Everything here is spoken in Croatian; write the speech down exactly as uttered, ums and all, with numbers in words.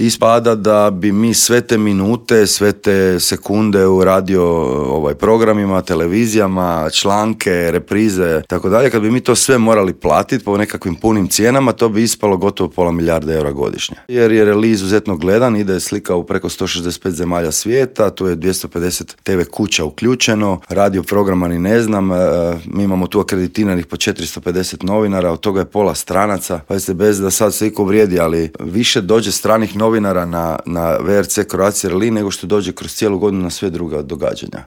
Ispada da bi mi sve te minute, sve te sekunde u radio ovaj, programima, televizijama, članke, reprize, tako dalje, kad bi mi to sve morali platiti po nekakvim punim cijenama, to bi ispalo gotovo pola milijarde eura godišnje. Jer je reli izuzetno gledan, ide slika u preko sto šezdeset pet zemalja svijeta, tu je dvjesto pedeset te ve kuća uključeno, radio programa ni ne znam, mi imamo tu akreditiranih po četiristo pedeset novinara, od toga je pola stranaca, pa se bez da sad se iko vrijedi, ali više dođe stranih novinara na, na ve er ce Croatia Rally nego što dođe kroz cijelu godinu na sve druga događanja.